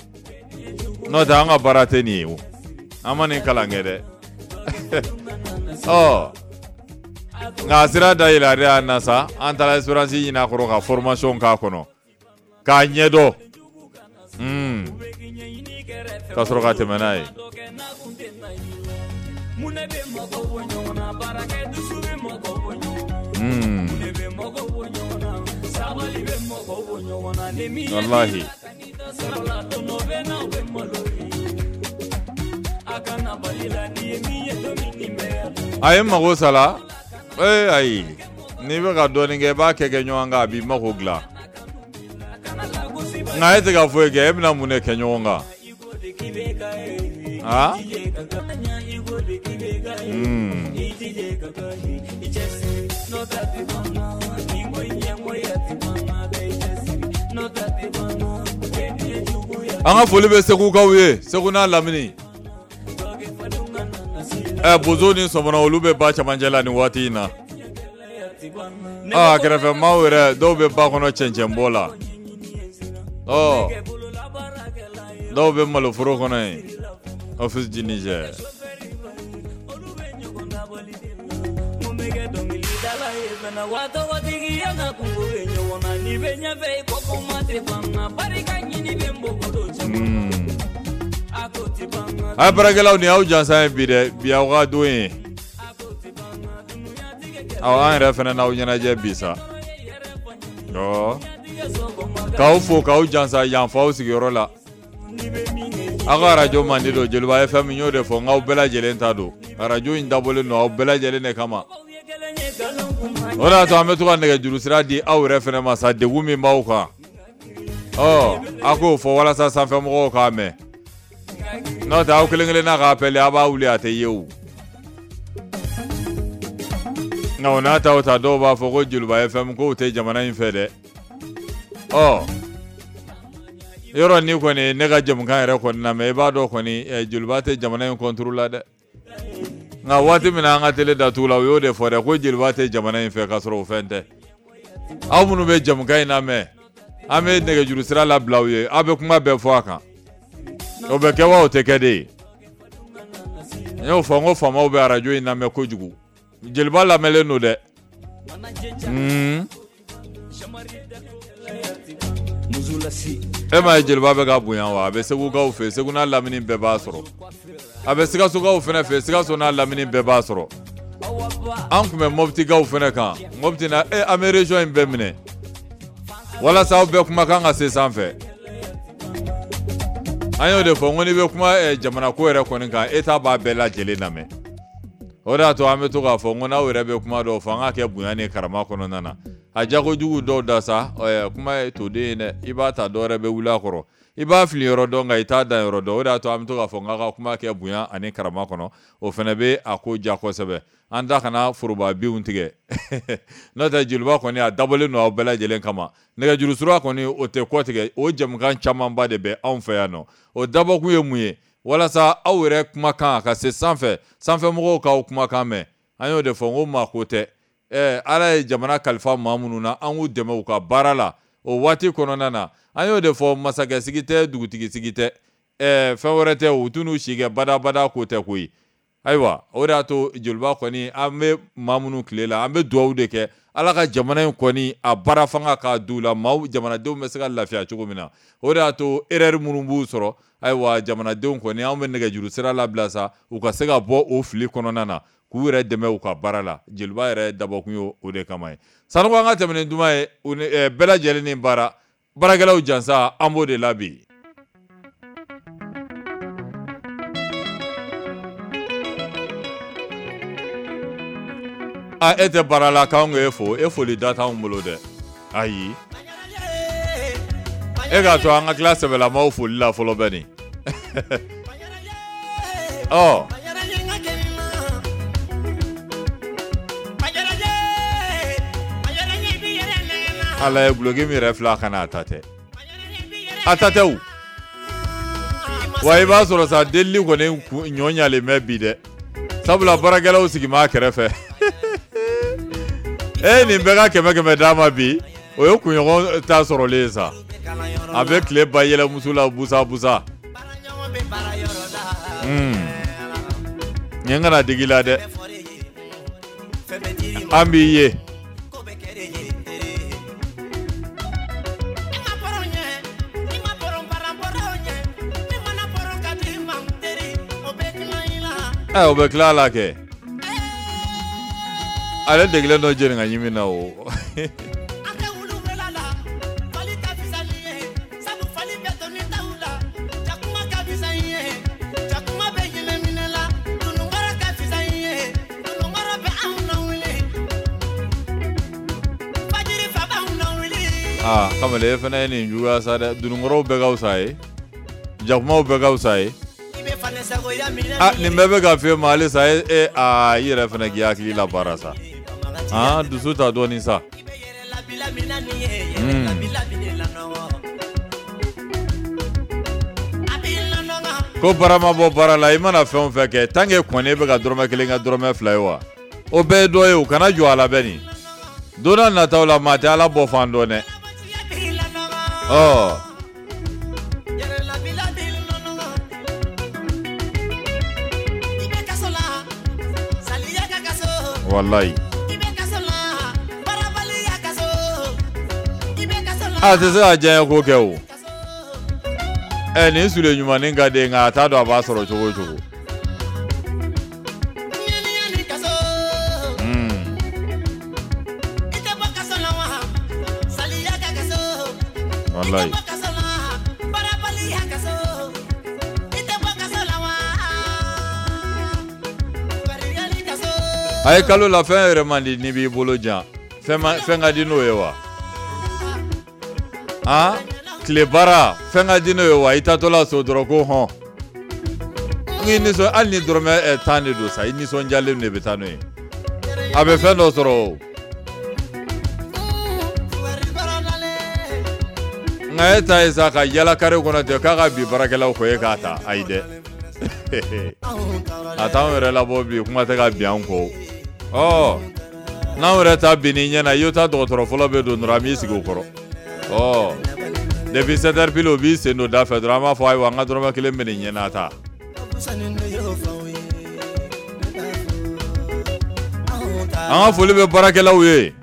N'o tɛ an ka baara tɛ nin ye o. An ma nin kalan kɛ dɛ. Ɔ nka sira da yɛlɛ a y'an na sa, an taara expérience ɲini a kɔrɔ ka formation k'a kɔnɔ k'a ɲɛdɔn, ka sɔrɔ ka tɛmɛ n'a ye. Walahi. A ye mago sala. Ayi, n'i bɛ ka dɔɔnin kɛ i b'a kɛ ɲɔgɔn kan, a b'i mago dilan. Nka e tɛ ka foyi kɛ, e bɛna mun de kɛ ɲɔgɔn kan? Ah? An ka foli bɛ Segukaw ye, Segu n'a lamini. Bozo ni sɔmɔnɔ olu bɛ ba camancɛ la nin waati in na. A kɛrɛfɛ maaw yɛrɛ dɔw bɛ ba kɔnɔ cɛncɛnbɔ la. Dɔw bɛ maloforo kɔnɔ yen. Office du Niger. A ye baarakɛlaw ni aw jansan ye bi dɛ, bi aw ka don ye. Aw an yɛrɛ fana n'aw ɲɛnajɛ bi sa. K'aw fo k'aw jansa yan f'aw sigiyɔrɔ la. Aw ka arajo mandi don, Joliba FM n y'o de fɔ, n k'aw bɛɛ lajɛlen ta don. Arajo in dabɔlen don aw bɛɛ lajɛlen de kama. O de y'a to an bɛ to ka nɛgɛjuru sira di aw yɛrɛ fana ma sa, degun min b'aw kan. A k'o fɔ walasa sanfɛmɔgɔw k'a mɛn. N'o tɛ aw kelen kelenna k'a appel a b'a wuli a tɛ ye o. Nka o n'a ta o ta, dɔw b'a fɔ ko Joliba FM k'o tɛ jamana in fɛ dɛ. Yɔrɔ ni kɔni ne ka jamukan yɛrɛ kɔni lamɛn, i b'a dɔn kɔni Joliba tɛ jamana in contre la dɛ. Nka waati min na an ka télé datugu la, u y'o de fɔ dɛ, ko Joliba tɛ jamana in fɛ, k'a sɔrɔ o fɛn tɛ. Aw minnu bɛ jamukan in lamɛn, an bɛ nɛgɛjuru sira labila aw ye, aw bɛ kuma bɛɛ fɔ a kan. O bɛ kɛ wa o tɛ kɛ de ye? N y'o fɔ n ko faamaw bɛ arajo in lamɛn kojugu. Joliba lamɛnlen don dɛ. E m'a ye Joliba bɛ ka bonya wa? A bɛ Segukaw fɛ, Segu n'a lamini bɛɛ b'a sɔrɔ. A bɛ Sikasokaw fana fɛ, Sikaso n'a lamini bɛɛ b'a sɔrɔ. An tun bɛ Moptikaw fana kan, Mopti na an bɛ région in bɛɛ minɛ walasa aw bɛɛ kumakan ka se sanfɛ. An y'o de fɔ n ko n'i bɛ kuma jamana ko yɛrɛ kɔni kan, État b'a bɛɛ lajɛlen lamɛn. O de y'a to an bɛ to k'a fɔ n ko n'aw yɛrɛ bɛ kuma dɔw fɔ, an k'a kɛ bonya ni karama kɔnɔna na. A jagojugu dɔw da sa, kuma ye toden ye dɛ, i b'a ta dɔw yɛrɛ bɛ wuli a kɔrɔ. I b'a fili yɔrɔ dɔn nka i t'a dan yɔrɔ dɔn. O de y'a to an bɛ to k'a fɔ n k'a ka kuma kɛ bonya ani karama kɔnɔ, o fana bɛ a ko ja kosɛbɛ. An da kana foroba binw tigɛ. N'o tɛ Joliba kɔni a dabɔlen don aw bɛɛ lajɛlen kama. Nɛgɛjuru sira kɔni o tɛ kɔ tigɛ, o jamukan camanba de bɛ anw fɛ yan nɔ. O dabɔkun ye mun ye? Walasa aw yɛrɛ kumakan a ka se sanfɛ, sanfɛmɔgɔw k'aw kumakan mɛn. An y'o de fɔ n ko maa ko tɛ. Ala ye jamana kalifa maa minnu na, an k'u dɛmɛ u ka baara la o waati kɔnɔna na. An y'o de fɔ, masakɛ sigi tɛ, dugutigi sigi tɛ, fɛn wɛrɛ tɛ, u t'u si kɛ badabada ko tɛ koyi. Ayiwa, o de y'a to Joliba kɔni an bɛ maa minnu tile la, an bɛ dugawu de kɛ Ala ka jamana in kɔni a baara fanga k'a d'u la, maaw jamanadenw bɛ se ka lafiya cogo min na. O de y'a to erreur minnu b'u sɔrɔ, ayiwa jamanadenw kɔni anw bɛ nɛgɛjuru sira labila sa, u ka se ka bɔ o fili kɔnɔna na, k'u yɛrɛ dɛmɛ u ka baara la. Joliba yɛrɛ dabɔkun ye o de kama ye. Sanogo, an ka tɛmɛ ni duman ye, u ni bɛɛ lajɛlen ni baara, baarakɛlaw jansa, an b'o de la bi. A e tɛ baara la k'anw k'e fo, e foli da t'anw bolo dɛ. Ayi, e k'a to an ka tila sɛbɛlamaw foli la fɔlɔ bɛ nin. Ala ye guloki min yɛrɛ filɛ, a kana a ta tɛ, a ta tɛ o. Wa i b'a sɔrɔ sa delili kɔni ɲɔ ɲalen bɛ bi dɛ, sabula baarakɛlaw sigi b'a kɛrɛfɛ. E nin bɛɛ ka 100 d'a ma bi, o ye kunɲɔgɔn ta sɔrɔlen ye sa. A bɛ tile ba yɛlɛ muso la busa busa. Nin kana digi la dɛ. An b'i ye. O bɛ tila la kɛ. Ale degelen dɔ jeni ka ɲimi na o. Aa kamalen e fana ye nin juguya sa dɛ. Dununkɔrɔw bɛɛ ka fisa ye, jakumaw bɛɛ ka fisa ye. Aa nin bɛɛ bɛ ka f'e ma halisa e aa i yɛrɛ fana k'i hakili labaara sa. Aa dusu ta dɔɔnin sa. Ko baara ma bɔ baara la, i mana fɛn o fɛn kɛ tant que kɔni e bɛ ka dɔrɔmɛ kelen kɛ dɔrɔmɛ fila ye wa, o bɛɛ ye dɔ ye o, kana jɔ a la bɛ nin. Don n'a nataw la maa tɛ Ala bɔ fan dɔn dɛ. Ɔ walayi. A tɛ se ka diɲɛ ko kɛ o. Ɛ nin sule ɲumannin ka di nka a t'a dɔn a b'a sɔrɔ cogo o cogo. Walayi. A ye kalo la fɛn yɛrɛ man di n'i b'i bolo jan. Fɛn ka di n'o ye wa? Han? Tile baara fɛn ka di n'o ye wa? I taatɔla so dɔrɔn ko hɔn. N'i nisɔn hali ni dɔrɔmɛ 10 de don sa, i nisɔndiyalen de bɛ taa n'o ye. A bɛ fɛn dɔ sɔrɔ o. Nka e ta ye sa ka yala kare kɔnɔ ten k'a ka bi baarakɛlaw kɔ e k'a ta, ayi dɛ. A t'anw yɛrɛ labɔ bi, kuma tɛ ka bin an kɔ. Ɔ n'anw yɛrɛ ta bin n'i ɲɛna, i y'o ta dɔgɔtɔrɔ fɔlɔ bɛ don dɔrɔn an b'i sigi o kɔrɔ. Ɔ depuis 7 heures pile o b'i sen don da fɛ dɔrɔn an b'a fɔ ayiwa an ka dɔrɔmɛ kelen bɛ nin ɲɛna ta. An ka foli bɛ baarakɛlaw ye,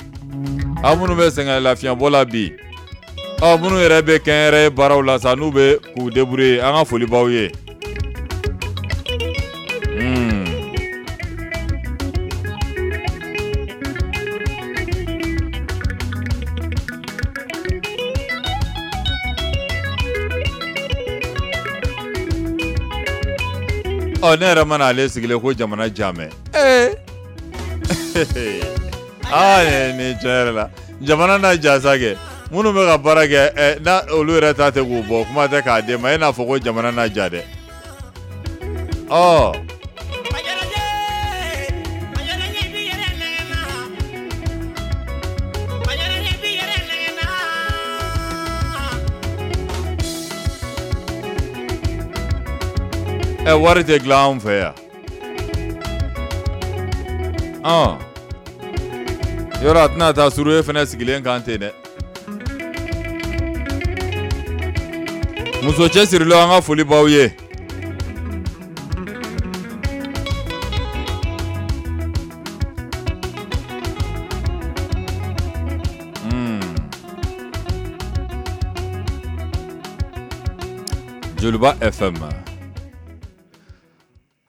aw minnu bɛ sɛgɛn lafiɲɛbɔ la bi, aw minnu yɛrɛ bɛ kɛnyɛrɛye baaraw la sa n'u bɛ k'u débrouiller, an ka foli b'aw ye. Ɔ ne yɛrɛ mana ale sigilen ko jamana jamɛ. Ee aa nin tiɲɛ yɛrɛ la jamana n'a jasa kɛ minnu bɛ ka baara kɛ n'a olu yɛrɛ ta tɛ k'u bɔ kuma tɛ k'a d'e ma e n'a fɔ ko jamana n'a ja dɛ. Ɔ wari tɛ dilan anw fɛ yan. Yɔrɔ a tɛna taa suru e fana sigilen kan ten dɛ. Muso cɛsirilenw an ka foli b'aw ye. Joliba FM.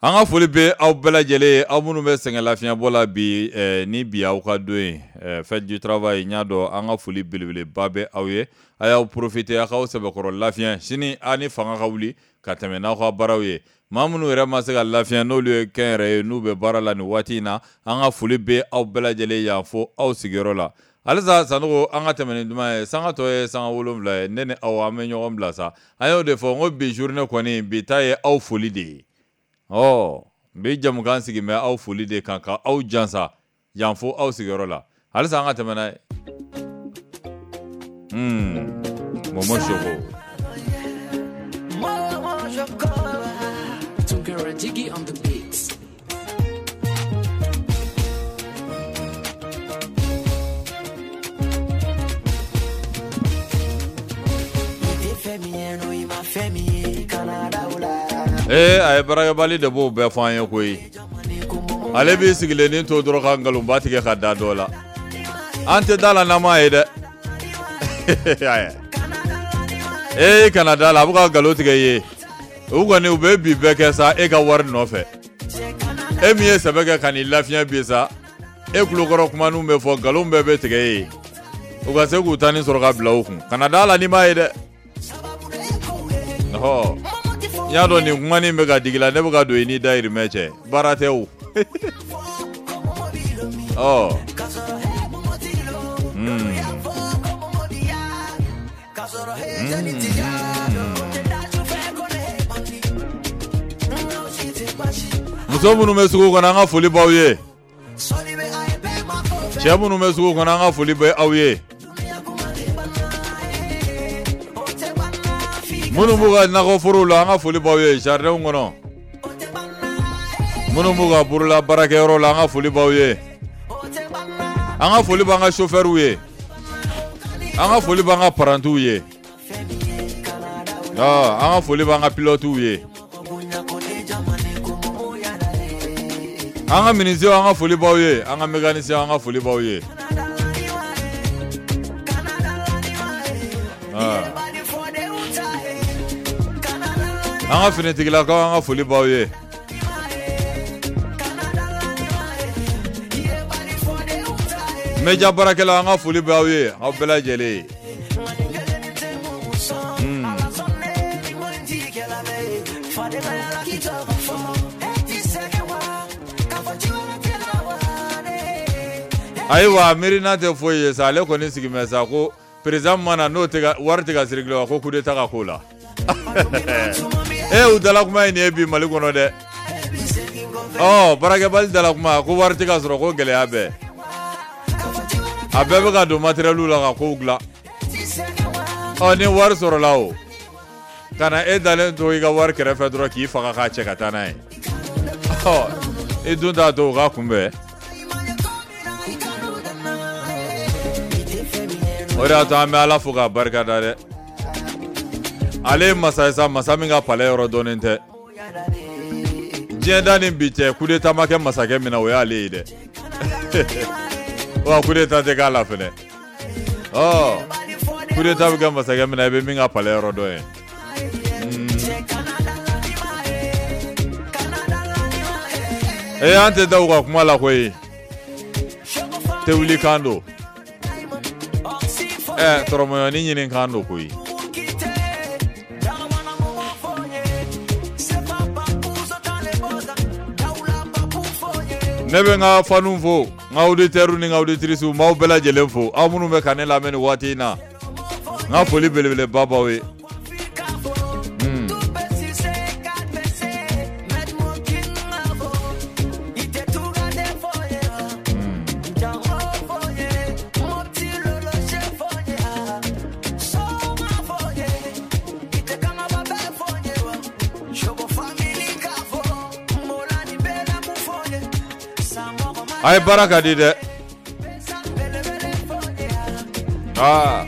An ka foli bɛ aw bɛɛ lajɛlen ye, aw minnu bɛ sɛgɛn lafiɲɛbɔ la bi, ni bi aw ka don ye, fête du travail, n y'a dɔn an ka foli belebeleba bɛ aw ye. A y'aw profiter a k'aw sɛbɛkɔrɔ lafiɲɛ sini a ni fanga ka wuli ka tɛmɛ n'aw ka baaraw ye. Maa minnu yɛrɛ ma se ka lafiɲɛ n'olu ye kɛnyɛrɛ ye n'u bɛ baara la nin waati in na, an ka foli bɛ aw bɛɛ lajɛlen yan fo aw sigiyɔrɔ la. Halisa Sanogo an ka tɛmɛ ni duman ye, sanga tɔ ye sanga 7 ye, ne ni aw an bɛ ɲɔgɔn bila sa. An y'o de fɔ n ko bi journée kɔni bi ta ye aw foli de ye. Ɔ n bɛ jamukan sigi bɛ aw foli de kan ka aw jansa yan fo aw sigiyɔrɔ la. Halisa an ka tɛmɛ n'a ye. Momo Choco. Jiggy on the beats. Ee a ye baarakɛbali de b'o bɛɛ fɔ an ye koyi. Ale b'i sigilennin to dɔrɔn ka nkalonba tigɛ ka da dɔ la. An tɛ da la n'an m'a ye dɛ. Ee kana da la, a bɛ ka nkalon tigɛ i ye. U kɔni u bɛ bi bɛɛ kɛ sa e ka wari nɔfɛ. E min ye sɛbɛ kɛ ka n'i lafiɲɛ bi sa, e tulokɔrɔ kumaninw bɛ fɔ, nkalon bɛɛ bɛ tigɛ e ye. U ka se k'u ta nin sɔrɔ ka bila u kun. Kana da la n'i m'a ye dɛ. Ɔhɔ. N y'a dɔn nin kumanin bɛ ka digi la, ne bɛ ka don i n'i dayirimɛ cɛ. Baara tɛ o. Ɔ. Muso minnu bɛ sugu kɔnɔ, an ka foli b'aw ye. Cɛ minnu bɛ sugu kɔnɔ, an ka foli bɛ aw ye. Minnu b'u ka nakɔforow la, an ka foli b'aw ye jardinw kɔnɔ. Minnu b'u ka bolola baarakɛyɔrɔ la, an ka foli b'aw ye. An ka foli b'an ka chauffeurw ye. An ka foli b'an ka parantiw ye. An ka foli b'an ka pilotew ye. An ka menuisiers, an ka foli b'aw ye. An ka mécaniciens, an ka foli b'aw ye. An ka finitigilakaw, an ka foli b'aw ye. Média baarakɛlaw, an ka foli b'aw ye, aw bɛɛ lajɛlen ye. Ayiwa, miirina tɛ foyi ye sa, ale kɔni sigimɛ sa ko président mana n'o tɛ wari tɛ ka circuler wa ko coup d'état ka k'o la. E u dala kuma ye nin ye bi Mali kɔnɔ dɛ. Ɔ baarakɛbali dala kuma ko wari tɛ ka sɔrɔ ko gɛlɛya bɛɛ. A bɛɛ bɛ ka don matériel la ka kow dilan. Ɔ ni wari sɔrɔla o, ka na e dalen to i ka wari kɛrɛfɛ dɔrɔn k'i faga k'a cɛ ka taa n'a ye. Ɔ i dun t'a to u k'a kunbɛn. O de y'a to an bɛ Ala fo k'a barika da dɛ. Ale ye masa ye sa, masa min ka palais yɔrɔ dɔnnen tɛ. Diɲɛ da ni bi cɛ, coup d'état ma kɛ masakɛ min na, o y'ale ye dɛ. Wa coup d'état tɛ k'a la fɛnɛ. Ɔ coup d'état bɛ kɛ masakɛ min na, i bɛ min ka palais yɔrɔ dɔn ye. Ee an tɛ da u ka kuma la koyi. Tɛ wuli kan don. Ɛ tɔrɔmɔɲɔni ɲini kan don koyi. Ne bɛ n ka fanw fo, n ka auditeurs ni n ka auditrices, n b'aw bɛɛ lajɛlen fo, aw minnu bɛ ka ne lamɛn nin waati in na, n ka foli belebeleba b'aw ye. A ye baara ka di dɛ. Aa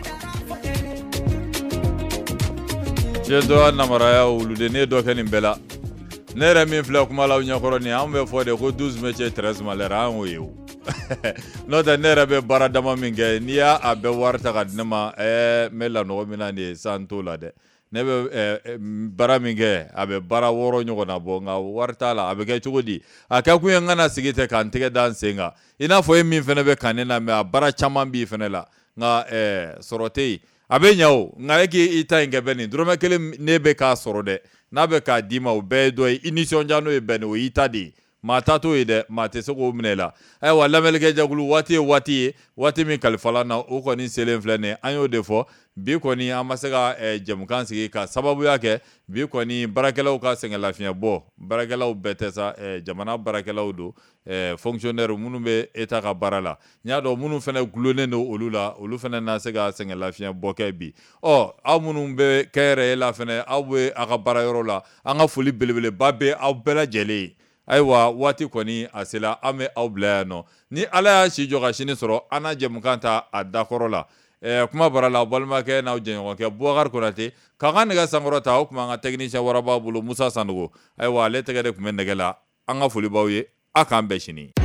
cɛ dɔ namaraya wuluden ne ye dɔ kɛ nin bɛɛ la. Ne yɛrɛ min filɛ kuma la aw ɲɛkɔrɔ nin, an bɛ fɔ de ko 12 métiers 13 malheurs, an y'o ye o. N'o tɛ ne yɛrɛ bɛ baara dama min kɛ, n'i y'a bɛɛ wari ta ka di ne ma, ɛɛ n bɛ lanɔgɔ min na nin ye san t'o la dɛ. Ne bɛ baara min kɛ, a bɛ baara 6 ɲɔgɔn na bɔ, nka wari t'a la. A bɛ kɛ cogo di? A kɛ kun ye n kana sigi tɛ k'an tɛgɛ da n sen kan. I n'a fɔ e min fana bɛ ka ne lamɛn, a baara caman b'i fana la, nka sɔrɔ tɛ yen. A bɛ ɲɛ o, nka e k'i ta in kɛ bɛɛ nin dɔrɔmɛ kelen ne bɛ k'a sɔrɔ dɛ, n'a bɛ k'a d'i ma, o bɛɛ ye dɔ ye. I nisɔndiya n'o ye bɛɛ nin, o y'i ta de ye. Maa ta t'o ye dɛ, maa tɛ se k'o minɛ i la. Ayiwa lamɛnnikɛ jɛkulu, waati ye waati ye, waati min kalifala na, o kɔni selen filɛ nin ye. An y'o de fɔ bi kɔni an ma se ka jɛmukan sigi ka sababuya kɛ bi kɔni baarakɛlaw ka sɛgɛnlafiɲɛ bɔ. Baarakɛlaw bɛɛ tɛ sa, jamana baarakɛlaw don, fonctionnaire minnu bɛ État ka baara la. N y'a dɔn minnu fana gulonnen don olu la, olu fana na se ka sɛgɛnlafiɲɛ bɔ kɛ bi. Ɔ aw minnu bɛ kɛnyɛrɛye la fana, aw bɛ aw ka baara yɔrɔ la, an ka foli belebeleba bɛ aw bɛɛ lajɛlen ye. Ayiwa waati kɔni a sera, an bɛ aw bila yan nɔ. Ni Ala y'a si jɔ ka sini sɔrɔ, an na jɛmukan ta a dakɔrɔ la. Kuma bara la, aw balimakɛ n'aw jɛɲɔgɔnkɛ Bubakari Konate k'an ka nɛgɛ sankɔrɔ ta. O tuma an ka technicien waraba bolo Musa Sanogo, ayiwa ale tɛgɛ de tun bɛ nɛgɛ la. An ka foli b'aw ye. A k'an bɛn sini.